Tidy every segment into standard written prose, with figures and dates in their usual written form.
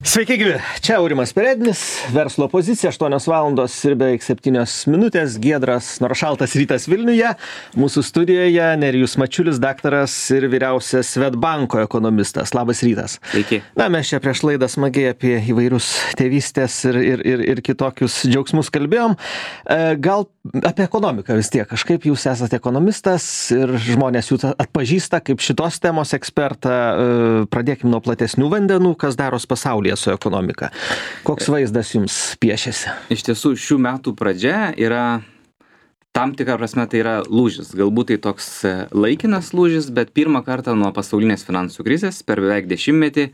Sveiki, gyvi. Čia Aurimas Perednis, verslo pozicija, 8 valandos ir beveik 7 minutės. Giedras, nors šaltas rytas Vilniuje. Mūsų studijoje Nerijus Mačiulis, daktaras ir vyriausias Swedbanko ekonomistas. Labas rytas. Sveiki. Na, mes čia prieš laidą smagiai apie įvairius tėvystės ir kitokius džiaugsmus kalbėjom. Gal apie ekonomiką vis tiek. Kažkaip jūs esate ekonomistas ir žmonės jūs atpažįsta kaip šitos temos ekspertą. Pradėkim nuo platesnių vandenų, kas daros pasaulyje su ekonomika. Koks vaizdas jums piešiasi? Iš tiesų, šių metų pradžia yra, tam tikrą prasme, tai yra lūžis. Galbūt tai toks laikinas lūžis, bet pirmą kartą nuo pasaulinės finansų krizės per beveik 10-metį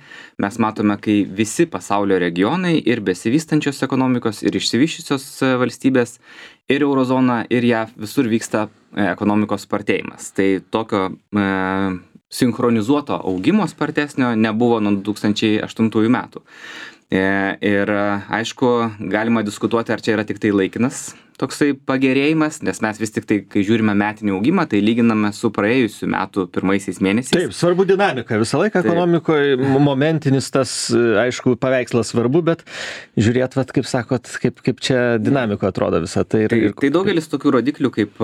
mes matome, kai visi pasaulio regionai ir besivystančios ekonomikos, ir išsivyščiusios valstybės, ir eurozona, ir JAV visur vyksta ekonomikos spartėjimas. Tai tokio sinchronizuoto augimo spartesnio nebuvo nuo 2008 metų. Ir aišku, galima diskutuoti, ar čia yra tik tai laikinas toksai pagerėjimas, nes mes vis tik tai, kai žiūrime metinį augimą, tai lyginame su praėjusių metų pirmaisiais mėnesiais. Taip, svarbu dinamika. Visą laiką ekonomikoje momentinis tas, aišku, paveikslas svarbu, bet žiūrėt, vat, kaip sakot, kaip čia dinamika atrodo visą tai. Tai daugelis tokių rodiklių kaip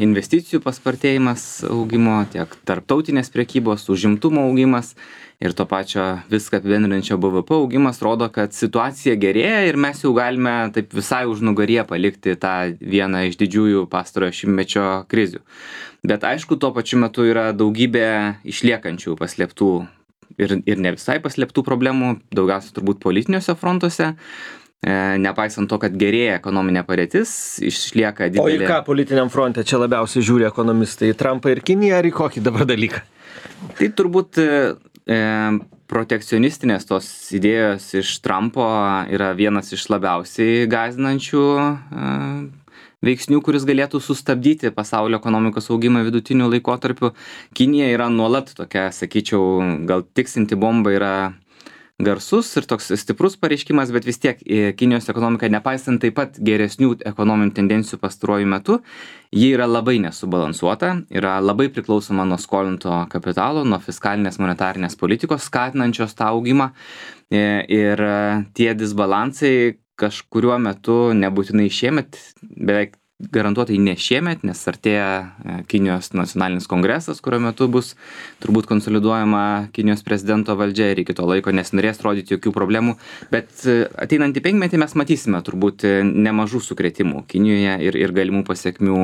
investicijų paspartėjimas augimo, tiek tarptautinės prekybos, užimtumo augimas ir to pačio viską apibendrinančio BVP augimas rodo, kad situacija gerėja ir mes jau galime taip visai užnugaryje palikti tą vieną iš didžiųjų pastarojo šimtmečio krizių. Bet aišku, tuo pačiu metu yra daugybė išliekančių paslėptų ir ne visai paslėptų problemų, daugiausia turbūt politiniuose frontuose. Nepaisant to, kad gerėja ekonominė padėtis, išlieka didelė. O į ką politiniam fronte čia labiausiai žiūri ekonomistai? Į Trumpą ir Kiniją ar į kokį dabar dalyką? Tai turbūt protekcionistinės tos idėjos iš Trumpo yra vienas iš labiausiai gąsdinančių veiksnių, kuris galėtų sustabdyti pasaulio ekonomikos augimą vidutiniu laikotarpiu. Kinija yra nuolat tokia, sakyčiau, gal tiksinti bomba yra garsus ir toks stiprus pareiškimas, bet vis tiek Kinijos ekonomika, nepaisant taip pat geresnių ekonominių tendencijų pastaruoju metu, ji yra labai nesubalansuota, yra labai priklausoma nuo skolinto kapitalo, nuo fiskalinės monetarinės politikos, skatinančios tą augimą. Ir tie disbalansai kažkuriuo metu, nebūtinai šiemet, beveik garantuotai ne šiemet, nes artėja Kinijos nacionalinis kongresas, kurio metu bus turbūt konsoliduojama Kinijos prezidento valdžia ir iki to laiko nesinorės rodyti jokių problemų, bet ateinantį penkmetį mes matysime turbūt nemažų sukrėtimų Kinijoje ir galimų pasiekmių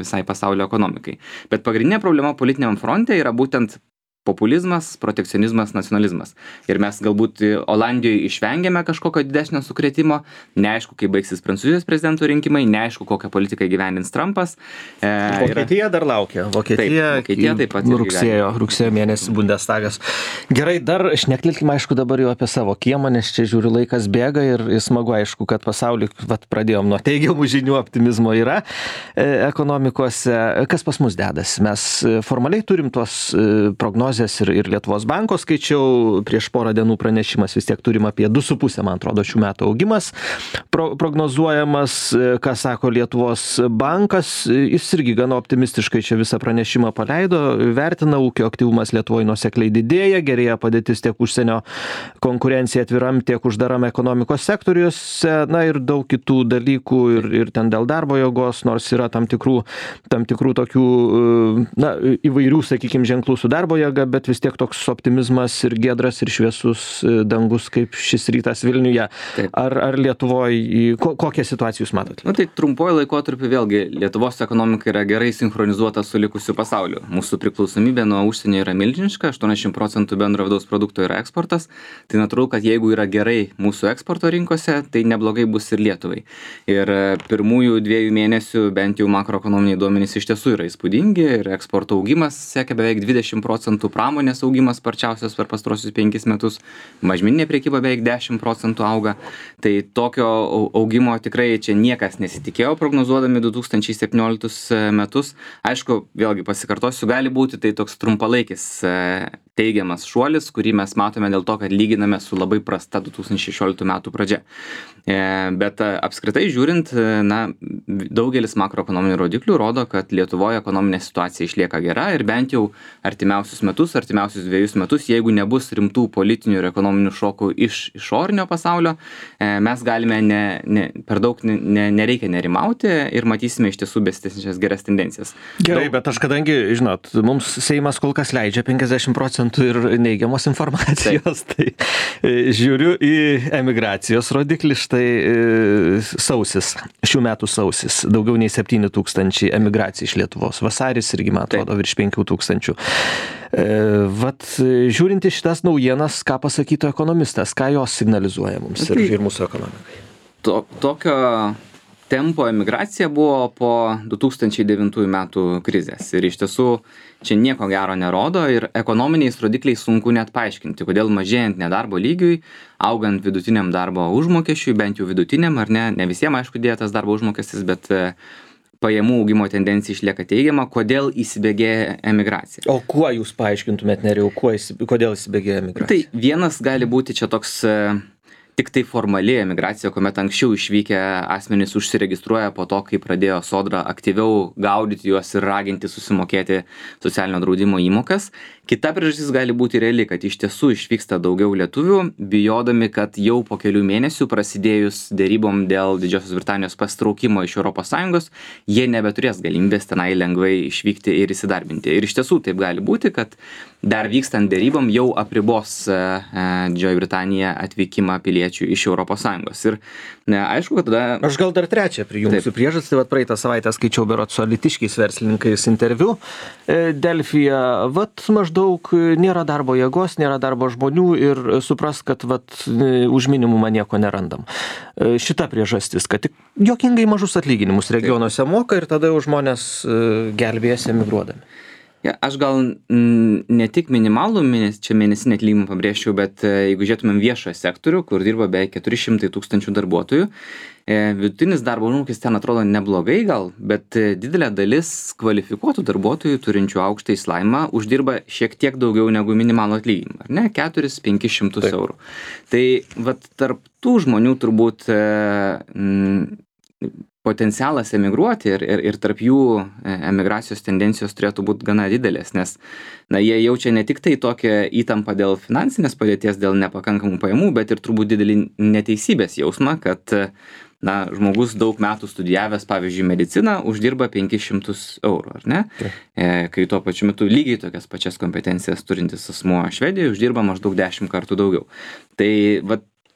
visai pasaulio ekonomikai. Bet pagrindinė problema politiniam fronte yra būtent populizmas, protekcionizmas, nacionalizmas. Ir mes galbūt Olandijoje išvengėme kažkokio didesnio sukrėtimo, neaišku, kaip baigsis Prancūzijos prezidento rinkimai, neaišku, kokią politiką gyvendins Trumpas. Vokietija dar laukia. Vokietija taip pat rugsėjo mėnesį Bundestagas. Gerai, dar šnektelkime, aišku, dabar jau apie savo kiemą, nes čia žiūriu laikas bėga ir smagu, aišku, kad pasaulį, pradėjom nuo teigiamų žinių, optimizmo yra ekonomikose. Kas pas mus dedasi? Mes formaliai turim tuos prognozes ir Lietuvos banko skaičiau, prieš porą dienų pranešimas, vis tiek turim apie 2,5, man atrodo, šių metų augimas prognozuojamas, ką sako Lietuvos bankas, jis irgi gana optimistiškai čia visą pranešimą paleido, vertina ūkio aktyvumas Lietuvoje nuosekliai didėja, gerėja padėtis tiek užsienio konkurencija atviram, tiek uždaram ekonomikos sektoriuose, na ir daug kitų dalykų ir ten dėl darbo jėgos, nors yra tam tikrų tokių, na, įvairių, sakykime, ženklų su darbo jėga, bet vis tiek toks optimizmas ir giedras ir šviesus dangus kaip šis rytas Vilniuje. Taip. Ar Lietuvoje, kokią situaciją jūs matote? Tai trumpuoju laikotarpiu vėlgi Lietuvos ekonomika yra gerai sinchronizuota su likusiu pasauliu. Mūsų priklausomybė nuo užsienio yra milžiniška, 80% bendro vidaus produkto yra eksportas. Tai natūralu, kad jeigu yra gerai mūsų eksporto rinkose, tai neblogai bus ir Lietuvai. Ir pirmųjų 2 mėnesių bent jau makroekonominiai duomenys iš tiesų yra įspūdingi ir eksporto augimas siekia beveik 20%, pramonės augimas sparčiausias per pastarosius 5 metus, mažmeninė prekyba beveik 10% auga. Tai tokio augimo tikrai čia niekas nesitikėjo prognozuodami 2017 metus. Aišku, vėlgi pasikartosiu, gali būti tai toks trumpalaikis teigiamas šuolis, kurį mes matome dėl to, kad lyginame su labai prasta 2016 metų pradžia. Bet apskritai žiūrint, daugelis makroekonominių rodiklių rodo, kad Lietuvoje ekonominė situacija išlieka gera ir bent jau artimiausius 2 metus, jeigu nebus rimtų politinių ir ekonominių šokų iš išorinio pasaulio, mes galime per daug nereikia nerimauti ir matysime iš tiesų besitęsiančias geras tendencijas. Gerai, bet aš kadangi, žinot, mums Seimas kol kas leidžia 50% ir neigiamos informacijos, tai žiūriu į emigracijos rodiklį, štai sausis, šių metų sausis, daugiau nei 7 000 emigracijų iš Lietuvos, vasaris irgi, man atrodo, virš 5 000. Vat žiūrint į šitas naujienas, ką pasakytų ekonomistas, ką jos signalizuoja mums ir mūsų ekonomikai? Tokio tempo emigracija buvo po 2009 metų krizės ir iš tiesų čia nieko gero nerodo ir ekonominiais rodikliais sunku net paaiškinti, kodėl mažėjant nedarbo lygiui, augant vidutiniam darbo užmokesčiui, bent jau vidutiniam, ar ne visiems aišku dėjo tas darbo užmokestis, bet pajamų augimo tendencija išlieka teigiama, kodėl įsibėgėja emigracija. O kuo jūs paaiškintumėt, Nerijau, kodėl įsibėgėja emigracija? Tai vienas gali būti čia toks tik tai formali emigracija, kuomet anksčiau išvykę asmenys užsiregistruoja po to, kai pradėjo Sodra aktyviau gaudyti juos ir raginti susimokėti socialinio draudimo įmokas. Kita priežastis gali būti reali, kad iš tiesų išvyksta daugiau lietuvių, bijodami, kad jau po kelių mėnesių prasidėjus dėrybom dėl Didžiosios Britanijos pasitraukimo iš ES, jie nebeturės galimybės tenai lengvai išvykti ir įsidarbinti. Ir iš tiesų taip gali būti, kad dar vykstant dėrybom jau apribos Didžioji Britanija atvykimą piliečių iš ES. Ir aišku, kad tada... Aš gal dar trečią prijungsiu priežastį, vat praeitą savaitę skaičiau berods su alytiškiais verslininkais interviu Delfyje, vat maždaug nėra darbo jėgos, nėra darbo žmonių ir supras, kad vat už minimumą nieko nerandam. Šita priežastis, kad tik juokingai mažus atlyginimus regionuose moka ir tada jau žmonės gelbėjasi emigruodami. Aš gal ne tik minimalų mėnesinį atlyginimą pabrėžčiau, bet jeigu žiūrėtumėm viešojo sektorių, kur dirba beveik 400 000 darbuotojų, vidutinis darbo užmokestis ten atrodo neblogai gal, bet didelė dalis kvalifikuotų darbuotojų turinčių aukštą išsilavinimą uždirba šiek tiek daugiau negu minimalų atlyginimą, ar ne? 400–500 eurų. Tai vat tarp tų žmonių turbūt potencialas emigruoti ir tarp jų emigracijos tendencijos turėtų būti gana didelės, nes jie jaučia ne tik tai tokią įtampą dėl finansinės padėties, dėl nepakankamų pajamų, bet ir turbūt didelį neteisybės jausmą, kad žmogus daug metų studijavęs, pavyzdžiui, mediciną, uždirba 500 eurų, ar ne? Kai tuo pačiu metu lygiai tokias pačias kompetencijas turintis asmuo Švedijoje uždirba maždaug 10 kartų daugiau. Tai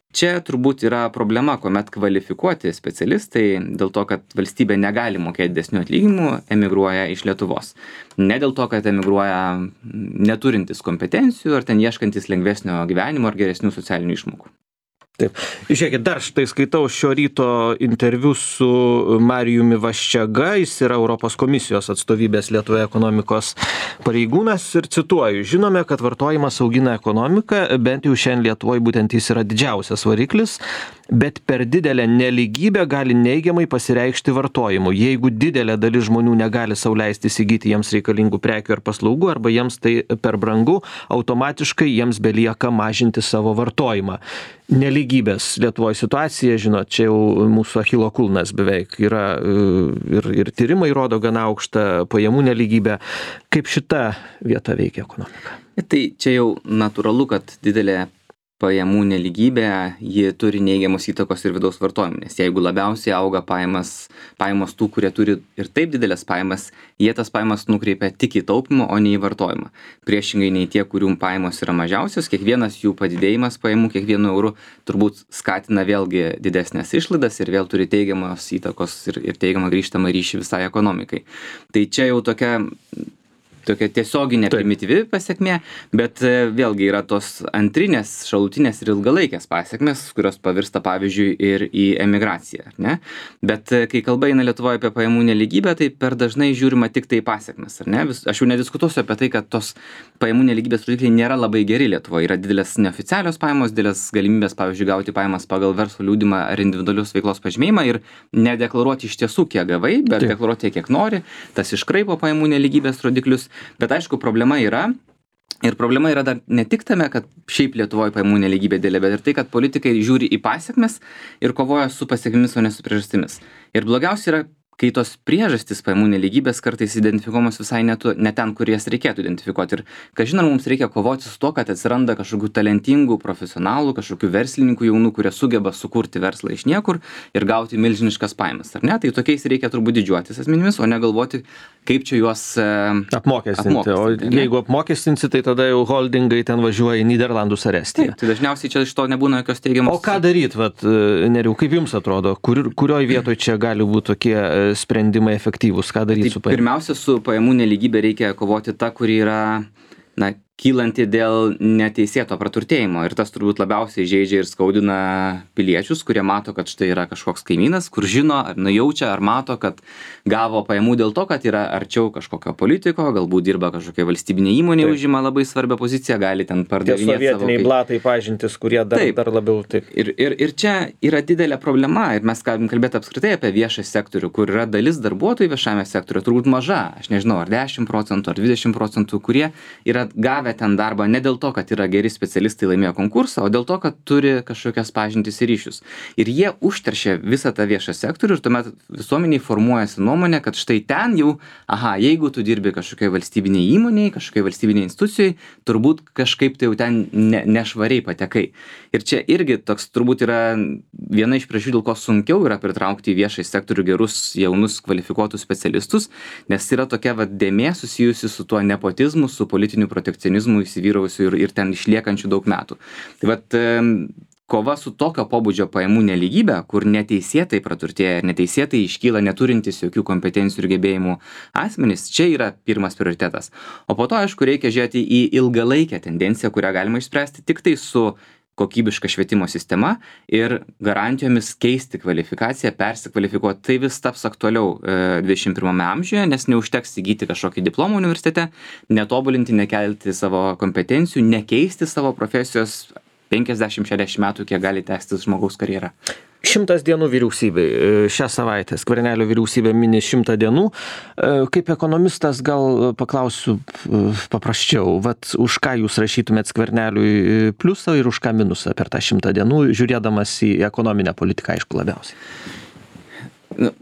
čia turbūt yra problema, kuomet kvalifikuoti specialistai dėl to, kad valstybė negali mokėti didesnių atlyginimų, emigruoja iš Lietuvos. Ne dėl to, kad emigruoja neturintis kompetencijų ar ten ieškantis lengvesnio gyvenimo ar geresnių socialinių išmokų. Taip. Žiūrėkit, dar štai skaitau šio ryto interviu su Marijumi Vaščega, jis yra Europos komisijos atstovybės Lietuvoje ekonomikos pareigūnas ir cituoju, žinome, kad vartojimas augina ekonomiką, bent jau šiandien Lietuvoje būtent jis yra didžiausias variklis, bet per didelę nelygybę gali neigiamai pasireikšti vartojimu. Jeigu didelė dalis žmonių negali sau leisti įsigyti jiems reikalingų prekių ar paslaugų, arba jiems tai per brangu, automatiškai jiems belieka mažinti savo vartojimą. Nelygybės Lietuvoje situacija, žinot, čia jau mūsų Achilo kulnas beveik yra ir tyrimai rodo gana aukštą pajamų nelygybę. Kaip šita vieta veikia ekonomiką? Tai čia jau natūralu, kad didelė pajamų nelygybė, ji turi neigiamos įtakos ir vidaus vartojimui, nes jeigu labiausiai auga pajamos tų, kurie turi ir taip didelės pajamas, jie tas pajamas nukreipia tik į taupymą, o ne į vartojimą. Priešingai nei tie, kurių pajamos yra mažiausios, kiekvienas jų padidėjimas pajamų kiekvienu euru turbūt skatina vėlgi didesnės išlaidas ir vėl turi teigiamos įtakos ir teigiamą grįžtamą ryšį visai ekonomikai. Tai čia jau tokia tiesioginė primityvi pasekmė, bet vėlgi yra tos antrinės, šalutinės ir ilgalaikės pasekmės, kurios pavirsta pavyzdžiui ir į emigraciją, ne? Bet kai kalba eina Lietuvoje apie pajamų nelygybę, tai per dažnai žiūrima tik tai pasekmes, ar ne? Aš jau nediskutuosiu apie tai, kad tos pajamų nelygybės rodikliai nėra labai geri Lietuvoje. Yra didelės neoficialios pajamos, didelės galimybės, pavyzdžiui, gauti pajamas pagal verslo liudijimą ar individualius veiklos pažymėjimą ir nedeklaruoti iš tiesų, kiek gavai, bet deklaruoti, kiek nori. Tas iškraipo pajamų nelygybės rodiklius. Bet aišku, problema yra, Ir problema yra dar ne tik tame, kad šiaip Lietuvoje pajamų nelygybė didelė, bet ir tai, kad politikai žiūri į pasekmes ir kovoja su pasekmėmis, o ne su priežastimis. Ir blogiausia yra, kai tos priežastys pajamų nelygybės kartais identifikuojamos visai ne ten, kur jas reikėtų identifikuoti. Ir kažin ar mums reikia kovoti su to, kad atsiranda kažkokių talentingų profesionalų, kažkokių verslininkų jaunų, kurie sugeba sukurti verslą iš niekur ir gauti milžiniškas pajamas, ar ne? Tai tokiais reikia turbūt didžiuotis asmenimis, o ne galvoti, kaip čia juos apmokestinti. O jeigu apmokestinsi, tai tada jau holdingai ten važiuoja į Nyderlandus ar Estiją. Tai dažniausiai čia iš to nebūna jokios teigiamos. O ką daryt, Nerijau, kaip jums atrodo, kurioje vietoje čia gali būti tokie sprendimai efektyvūs, ką daryti su pajamų? Pirmiausia, su pajamų nelygybė reikia kovoti ta, kuri yra, kylanti dėl neteisėto praturtėjimo. Ir tas turbūt labiausiai žeidžia ir skaudina piliečius, kurie mato, kad štai yra kažkoks kaimynas, kur žino, ar nujaučia, ar mato, kad gavo pajamų dėl to, kad yra arčiau kažkokio politiko, galbūt dirba kažkokia valstybinė įmonė, užima labai svarbią poziciją, gali ten pardavinėti savo. Tie sovietiniai blatai pažintis, kurie dar labiau taip. Ir čia yra didelė problema, ir mes galim kalbėti apskritai apie viešą sektorių, kur yra dalis darbuotojų viešame sektoriuje, turbūt maža, aš nežinau, ar 10%, ar 20%, kurie yra gavę ten darbą ne dėl to, kad yra geri specialistai laimėjo konkursą, o dėl to, kad turi kažkokias pažintis ir ryšius. Ir jie užteršia visą tą viešą sektorių ir tuomet visuomeniai formuojasi nuomonė, kad štai ten jau, jeigu tu dirbi kažkokioje valstybinėje įmonėje, kažkokioje valstybinėje institucijoje, turbūt kažkaip tai jau ten nešvariai patekai. Ir čia irgi toks turbūt yra viena iš priežasčių, dėl ko sunkiau yra pritraukti į viešąjį sektorių gerus, jaunus, kvalifikuotus specialistus, nes yra tokia dėmė susijusi su tuo nepotizmu, su politiniu protekcionizmu įsivyravusiu ir ten išliekančių daug metų. Tai kova su tokio pobūdžio pajamų nelygybė, kur neteisėtai praturtėja, neteisėtai iškyla neturintis jokių kompetencijų ir gebėjimų asmenys, čia yra pirmas prioritetas. O po to, aišku, reikia žiūrėti į ilgalaikę tendenciją, kurią galima išspręsti tik tai su kokybiška švietimo sistema ir garantijomis keisti kvalifikaciją, persikvalifikuoti. Tai vis taps aktualiau 21 amžiuje, nes neužteks įgyti kažkokį diplomą universitete, netobulinti, nekelti savo kompetencijų, nekeisti savo profesijos 50-60 metų, kiek gali tęstis žmogaus karjera. 100 dienų vyriausybei. Šią savaitę Skvernelio vyriausybė mini 100 dienų. Kaip ekonomistas gal paklausiu paprasčiau, už ką jūs rašytumėt Skverneliui pliusą ir už ką minusą per tą 100 dienų, žiūrėdamas į ekonominę politiką, aišku, labiausiai?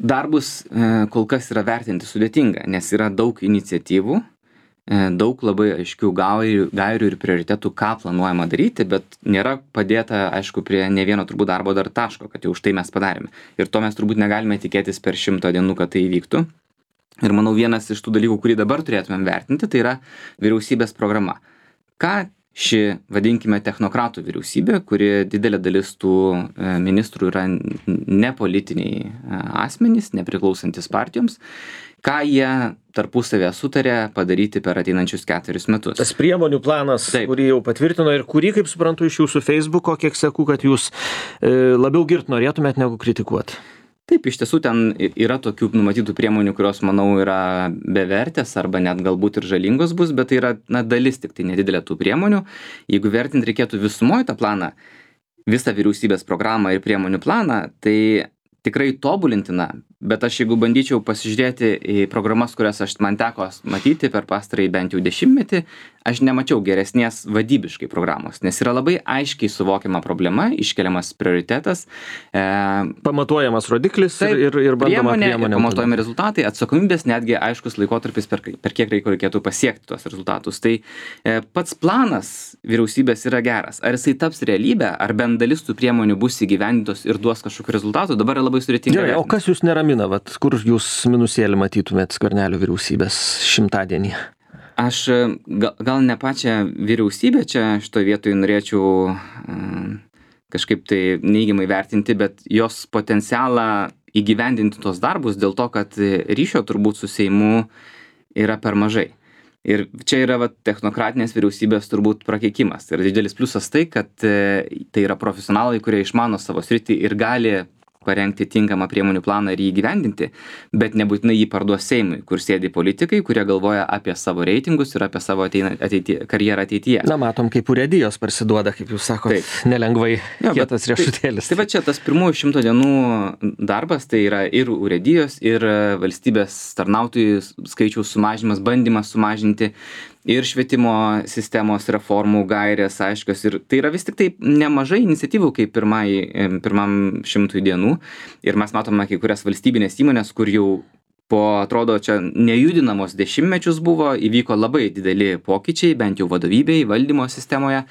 Darbus kol kas yra vertinti sudėtinga, nes yra daug iniciatyvų, daug labai aiškių gairių ir prioritetų, ką planuojama daryti, bet nėra padėta, aišku, prie ne vieno turbūt darbo dar taško, kad jau už tai mes padarėme. Ir to mes turbūt negalime tikėtis per 100 dienų, kad tai įvyktų. Ir manau, vienas iš tų dalykų, kurį dabar turėtumėm vertinti, tai yra vyriausybės programa. Ką ši, vadinkime, technokratų vyriausybė, kuri didelė dalis tų ministrų yra nepolitiniai asmenys, nepriklausantis partijoms, ką jie tarpusavėje sutarė padaryti per ateinančius 4 metus. Tas priemonių planas, kurį jau patvirtino ir kurį, kaip suprantu, iš jūsų Facebooko, kiek seku, kad jūs labiau girt norėtumėt negu kritikuoti. Taip, iš tiesų ten yra tokių numatytų priemonių, kurios, manau, yra bevertės arba net galbūt ir žalingos bus, bet tai yra dalis tik tai nedidelė tų priemonių. Jeigu vertint reikėtų visumoje tą planą, visą vyriausybės programą ir priemonių planą, tai tikrai tobulintina, bet aš jeigu bandyčiau pasižiūrėti į programas, kurias man teko matyti per pastarąjį bent jau 10-metį, aš nemačiau geresnės vadybiškai programos, nes yra labai aiškiai suvokiama problema, iškeliamas prioritetas. Pamatuojamas rodiklis ir bandoma priemonė. Pamatuojami rezultatai, atsakomybės, netgi aiškus laikotarpis, per kiek reikėtų pasiekti tuos rezultatus. Tai pats planas vyriausybės yra geras. Ar jisai taps realybę, ar bent dalis tų priemonių bus įgyvendintos ir duos kažkokių rezultatų, dabar yra labai sudėtinga. Gerai, o kas jūs neramina, kur jūs minusėlį matytumėt Skvernelio vyriausybės 100-dienį? Aš gal ne pačią vyriausybę čia šitoje vietoje norėčiau kažkaip tai neigiamai vertinti, bet jos potencialą įgyvendinti tos darbus dėl to, kad ryšio turbūt su Seimu yra per mažai. Ir čia yra technokratinės vyriausybės turbūt prakeikimas. Ir didelis pliusas tai, kad tai yra profesionalai, kurie išmano savo sritį ir gali parengti tinkamą priemonių planą ir jį įgyvendinti, bet nebūtinai jį parduos Seimui, kur sėdi politikai, kurie galvoja apie savo reitingus ir apie savo karjerą ateityje. Na, matom, kaip urėdijos parsiduoda, kaip jūs sakote, nelengvai kietas riešutėlis. Tai va čia tas pirmųjų 100 dienų darbas, tai yra ir urėdijos, ir valstybės tarnautojų skaičiaus sumažinimas, bandymas sumažinti. ir švietimo sistemos reformų gairės aiškios. Ir tai yra vis tik tai nemažai iniciatyvų kaip pirmam 100 dienų. Ir mes matome kai kurias valstybinės įmonės, kur jau atrodo, čia nejudinamos dešimtmečius buvo, įvyko labai dideli pokyčiai, bent jau vadovybėje, valdymo sistemoje.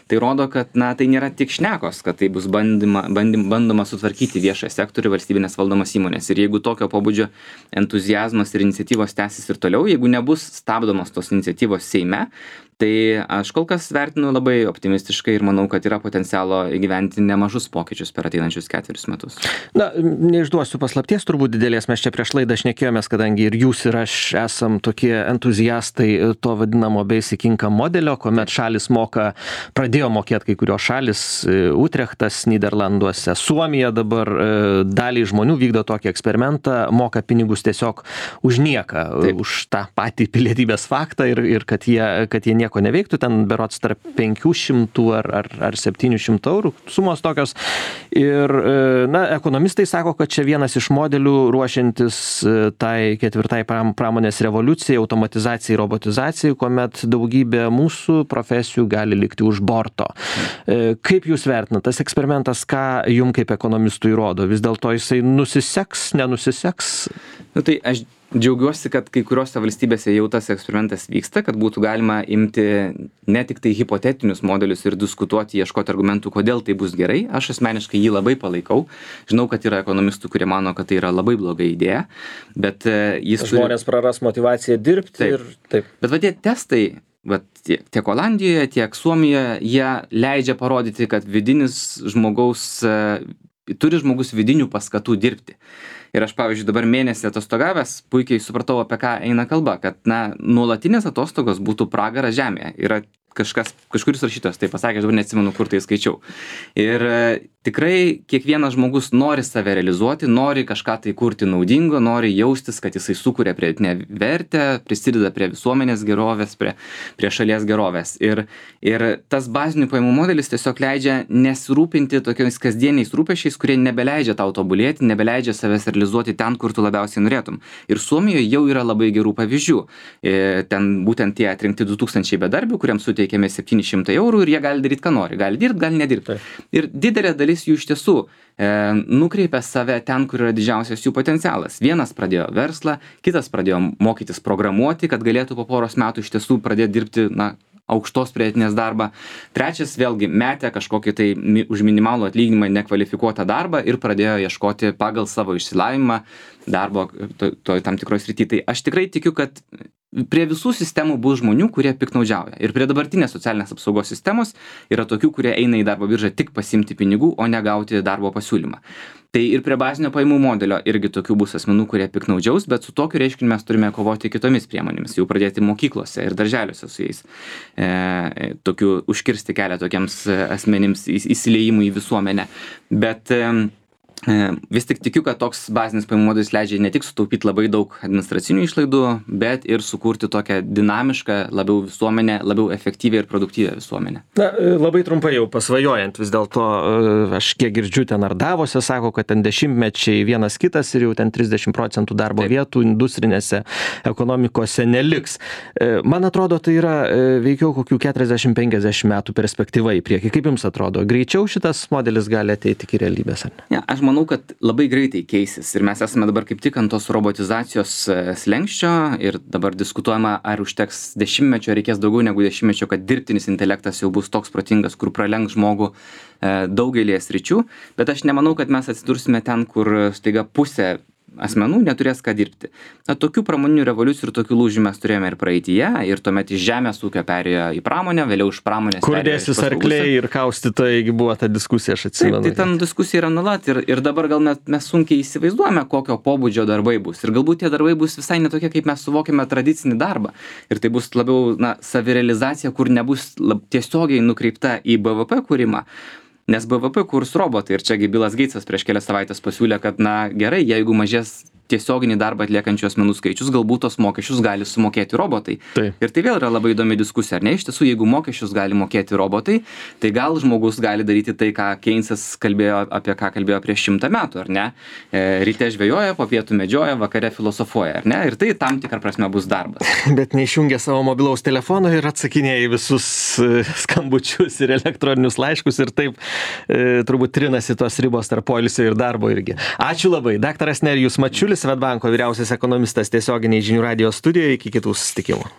Tai rodo, kad tai nėra tik šnekos, kad tai bus bandoma sutvarkyti viešą sektorių valstybinės valdomas įmonės. Ir jeigu tokio pobūdžio entuziazmas ir iniciatyvos tęsis ir toliau, jeigu nebus stabdomos tos iniciatyvos Seime, tai aš kol kas vertinu labai optimistiškai ir manau, kad yra potencialo įgyventi nemažus pokyčius per ateinančius 4 metus. Na, neišduosiu paslapties, turbūt didelės, mes čia prieš laidą šnekėjomės, kadangi ir jūs ir aš esam tokie entuziastai to vadinamo basic income modelio, kuomet šalis pradėjo mokėti kai kurios šalis, Utrechtas Nyderlanduose, Suomija dabar daliai žmonių vykdo tokį eksperimentą, moka pinigus tiesiog už nieką, už tą patį pilietybės faktą ir kad jie nieko neveiktų, ten berods tarp 500 ar 700 eurų sumos tokios. Ir, ekonomistai sako, kad čia vienas iš modelių ruošiantis tai 4 pramonės revoliucijai, automatizacijai, robotizacijai, kuomet daugybė mūsų profesijų gali likti už borto. Kaip jūs vertinate, tas eksperimentas, ką jum kaip ekonomistui rodo? Vis dėlto jisai nusiseks, nenusiseks? Tai aš džiaugiuosi, kad kai kuriuose valstybėse jau tas eksperimentas vyksta, kad būtų galima imti ne tik tai hipotetinius modelius ir diskutuoti, ieškoti argumentų, kodėl tai bus gerai. Aš asmeniškai jį labai palaikau. Žinau, kad yra ekonomistų, kurie mano, kad tai yra labai bloga idėja, bet žmonės praras motyvaciją dirbti ir taip. Bet tie testai, tiek Olandijoje, tiek Suomijoje, jie leidžia parodyti, kad turi žmogus vidinių paskatų dirbti. Ir aš, pavyzdžiui, dabar mėnesį atostogavęs puikiai supratau, apie ką eina kalba, kad nuolatinės atostogos būtų pragaras žemėje. Yra kažkuris rašytojas tai pasakė, aš dabar neatsimenu, kur tai skaičiau. Ir tikrai kiekvienas žmogus nori save realizuoti, nori kažką tai kurti naudingo, nori jaustis, kad jisai sukuria pridėtinę vertę, prisideda prie visuomenės gerovės, prie šalies gerovės. Ir tas bazinių pajamų modelis tiesiog leidžia nesirūpinti tokiais kasdieniais rūpesčiais, kurie nebeleidžia tau tobulėti, nebeleidžia savęs realizuoti ten, kur tu labiausiai norėtum. Ir Suomijoje jau yra labai gerų pavyzdžių. Ten būtent tie atrinkti 2000 bedarbių, kuriems suteikiami 700 eurų ir jie gali daryti, ką nori. Gali dirbti, gali nedirbti. Ir didelė dalis jų iš tiesų nukreipia save ten, kur yra didžiausias jų potencialas. Vienas pradėjo verslą, kitas pradėjo mokytis programuoti, kad galėtų po poros metų iš tiesų pradėti dirbti, aukštos pridėtinės darbą. Trečias vėlgi metė kažkokį tai už minimalų atlyginimą nekvalifikuotą darbą ir pradėjo ieškoti pagal savo išsilavinimą darbo tam tikros srity. Tai aš tikrai tikiu, kad prie visų sistemų bus žmonių, kurie piktnaudžiauja. Ir prie dabartinės socialinės apsaugos sistemos yra tokių, kurie eina į darbo biržą tik pasiimti pinigų, o ne gauti darbo pasiūlymą. Tai ir prie bazinio pajamų modelio irgi tokių bus asmenų, kurie piktnaudžiaus, bet su tokiu reiškiniu mes turime kovoti kitomis priemonėmis, jau pradėti mokyklose ir darželiuose su jais. Užkirsti kelią tokiems asmenims įsiliejimui į visuomenę. Bet vis tik tikiu, kad toks bazinis pajamų modelis leidžia ne tik sutaupyti labai daug administracinių išlaidų, bet ir sukurti tokią dinamišką, labiau visuomenę, labiau efektyvią ir produktyvią visuomenę. Labai trumpai jau pasvajojant, vis dėlto aš kiek girdžiu ten ar Davose sako, kad ten dešimtmečiai vienas kitas ir jau ten 30% darbo vietų industrinėse ekonomikose neliks. Man atrodo, tai yra veikiau kokių 40-50 metų perspektyva į priekį. Kaip jums atrodo? Greičiau šitas modelis gali ateiti iki realybės, ar ne? Ja, aš manau, kad labai greitai keisis ir mes esame dabar kaip tik ant tos robotizacijos slenksčio ir dabar diskutuojama, ar užteks dešimtmečio, reikės daugiau negu dešimtmečio, kad dirbtinis intelektas jau bus toks protingas, kur pralenks žmogų daugelį sričių, bet aš nemanau, kad mes atsidursime ten, kur staiga pusė asmenų neturės ką dirbti. Tokių pramoninių revoliucijų ir tokių lūžių mes turėjome ir praeityje, ir tuomet iš žemės ūkio perėjo į pramonę, vėliau iš pramonės kur dėsis arkliai ir kaustytojai, buvo ta diskusija, aš atsimenu. Taip, tai ten diskusija yra nuolat ir dabar gal mes sunkiai įsivaizduojame, kokio pobūdžio darbai bus. Ir galbūt tie darbai bus visai netokie, kaip mes suvokiame tradicinį darbą. Ir tai bus labiau savirealizacija, kur nebus tiesiogiai nukreipta į BVP kūrimą. Nes BVP kurs robotai ir čiagi Bilas Geitsas prieš kelias savaitės pasiūlė, kad gerai, jeigu mažės tiesioginį darbą atliekančių asmenų skaičius, galbūt tos mokesčius gali sumokėti robotai. Taip. Ir tai vėl yra labai įdomi diskusija, ar ne? Iš tiesų, jeigu mokesčius gali mokėti robotai, tai gal žmogus gali daryti tai, ką Keynesas kalbėjo prieš 100 metų, ar ne? Ryte žvejoja, po pietų medžioja, vakare filosofuoja, ar ne? Ir tai tam tikrą prasme bus darbas. Bet neišjungia savo mobilaus telefono ir atsakinėja į visus skambučius ir elektroninius laiškus ir taip turbūt trinasi tos ribos tarp poilsio ir darbo irgi. Ačiū labai. Daktaras Nerijus Mačiulis, Swedbanko vyriausias ekonomistas tiesioginiai Žinių radijo studijoje. Iki kitų susitikimų.